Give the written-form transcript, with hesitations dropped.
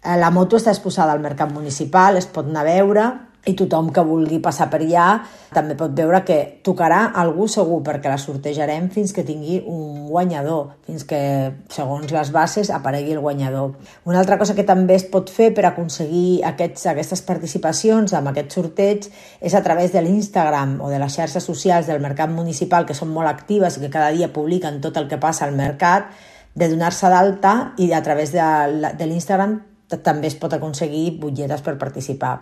La moto està exposada al mercat municipal, es pot anar a veure i tothom que vulgui passar per allà també pot veure que tocarà algú segur, perquè la sortejarem fins que tingui un guanyador, fins que, segons les bases, aparegui el guanyador. Una altra cosa que també es pot fer per aconseguir aquestes participacions amb aquest sorteig és a través de l'Instagram o de les xarxes socials del mercat municipal, que són molt actives i que cada dia publiquen tot el que passa al mercat, de donar-se d'alta, i a través de l'Instagram també es pot aconseguir butlletes per participar.